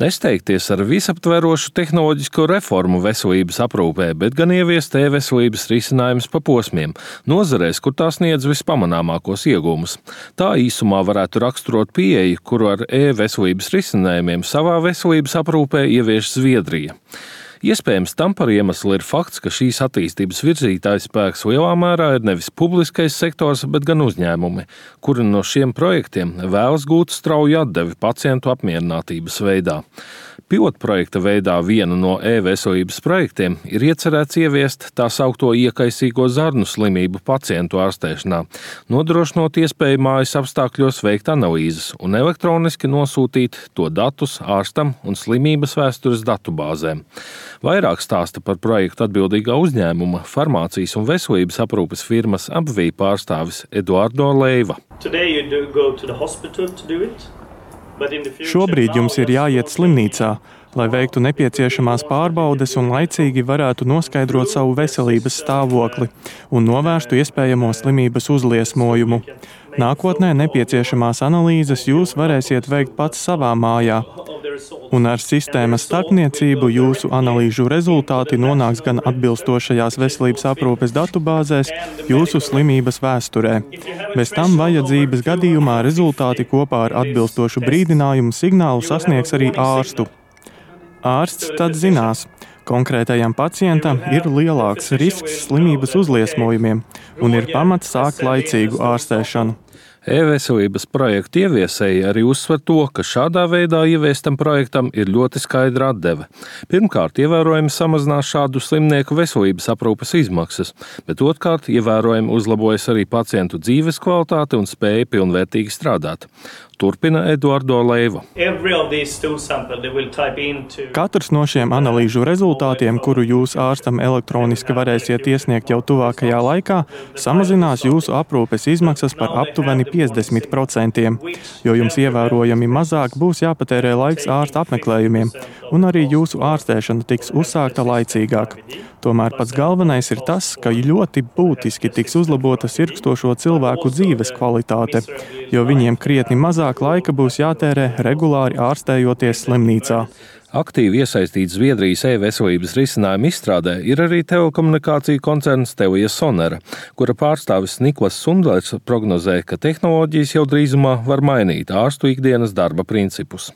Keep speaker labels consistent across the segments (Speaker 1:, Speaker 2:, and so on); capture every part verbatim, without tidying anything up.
Speaker 1: Nesteigties ar visaptverošu tehnoloģisko reformu veselības aprūpē, bet gan ieviest e-veselības risinājumus pa posmiem, nozarēs, kur tās sniedz vispamanāmākos iegūmus. Tā īsumā varētu raksturot pieeju, kuru ar e-veselības risinājumiem savā veselības aprūpē ievieš Zviedrija. Iespējams, tam par iemeslu ir fakts, ka šīs attīstības virzītājs spēks lielā mērā ir nevis publiskais sektors, bet gan uzņēmumi, kuri no šiem projektiem vēlas gūt strauju atdevi pacientu apmierinātības veidā. Pilotprojekta veidā vienu no e-veselības projektiem ir iecerēts ieviest tā saukto iekaisīgo zarnu slimību pacientu ārstēšanā, nodrošinot iespēju mājas apstākļos veikt analīzes un elektroniski nosūtīt to datus ārstam un slimības vēstures datubāzēm. Vairāk stāsta par projektu atbildīgā uzņēmuma, farmācijas un veselības aprūpes firmas Abvī pārstāvis Eduardo Leiva.
Speaker 2: Šobrīd jums ir jāiet slimnīcā, lai veiktu nepieciešamās pārbaudes un laicīgi varētu noskaidrot savu veselības stāvokli un novērstu iespējamo slimības uzliesmojumu. Nākotnē nepieciešamās analīzes jūs varēsiet veikt pats savā mājā. Un ar sistēmas starpniecību jūsu analīžu rezultāti nonāks gan atbilstošajās veselības aprūpes datubāzēs, jūsu slimības vēsturē. Bez tam vajadzības gadījumā rezultāti kopā ar atbilstošu brīdinājumu signālu sasniegs arī ārstu. Ārsts tad zinās, konkrētajam pacientam ir lielāks risks slimības uzliesmojumiem un ir pamats sākt laicīgu ārstēšanu.
Speaker 1: E-veselības projektu ieviesēji arī uzsver to, ka šādā veidā ieviestam projektam ir ļoti skaidra atdeve. Pirmkārt, ievērojami samazinās šādu slimnieku veselības aprūpes izmaksas, bet otrkārt, ievērojami uzlabojas arī pacientu dzīves kvalitāte un spēja pilnvērtīgi strādāt. Turpina Eduardo Leiva.
Speaker 2: Katrs no šiem analīžu rezultātiem, kuru jūs ārstam elektroniski varēsiet iesniegt jau tuvākajā laikā, samazinās jūsu aprūpes izmaksas par aptuveni piecdesmit procentiem, jo jums ievērojami mazāk būs jāpatērē laiks ārsta apmeklējumiem, un arī jūsu ārstēšana tiks uzsākta laicīgāk. Tomēr pats galvenais ir tas, ka ļoti būtiski tiks uzlabota sirkstošo cilvēku dzīves kvalitāte, jo viņiem krietni mazāk laika būs jātērē regulāri ārstējoties slimnīcā.
Speaker 1: Aktīvi iesaistīts Zviedrijas e-veselības risinājumu izstrādē ir arī telekomunikāciju koncerns Telia Sonera, kura pārstāvis Niklas Sundlers prognozē, ka tehnoloģijas jau drīzumā var mainīt ārstu ikdienas darba principus.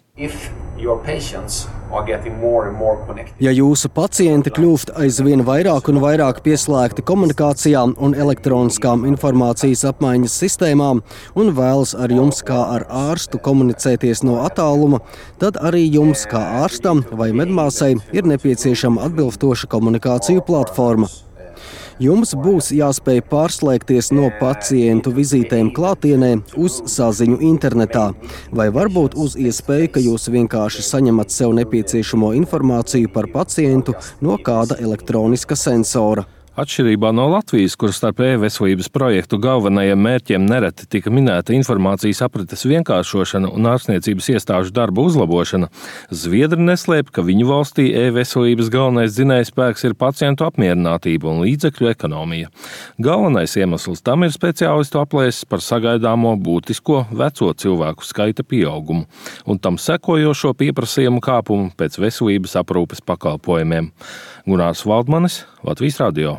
Speaker 3: Ja jūsu pacienti kļūst aizvien vairāk un vairāk pieslēgti komunikācijām un elektroniskām informācijas apmaiņas sistēmām un vēlas ar jums kā ar ārstu komunicēties no attāluma, tad arī jums kā ārstam vai medmāsai ir nepieciešama atbilstoša komunikāciju platforma. Jums būs jāspēj pārslēgties no pacientu vizītēm klātienē uz saziņu internetā, vai varbūt uz iespēju, ka jūs vienkārši saņemat sev nepieciešamo informāciju par pacientu no kāda elektroniska sensora.
Speaker 1: Atšķirībā no Latvijas, kur starp e-veselības projektu galvenajiem mērķiem nereti tika minēta informācijas aprites vienkāršošana un ārstniecības iestāžu darba uzlabošana, Zviedri neslēp, ka viņu valstī e-veselības galvenais dzinējspēks ir pacientu apmierinātība un līdzekļu ekonomija. Galvenais iemesls tam ir speciālistu aplēses par sagaidāmo būtisko veco cilvēku skaita pieaugumu un tam sekojošo pieprasījumu kāpumu pēc veselības aprūpes pakalpojumiem. Gunārs Valdmanis, Latvijas radio.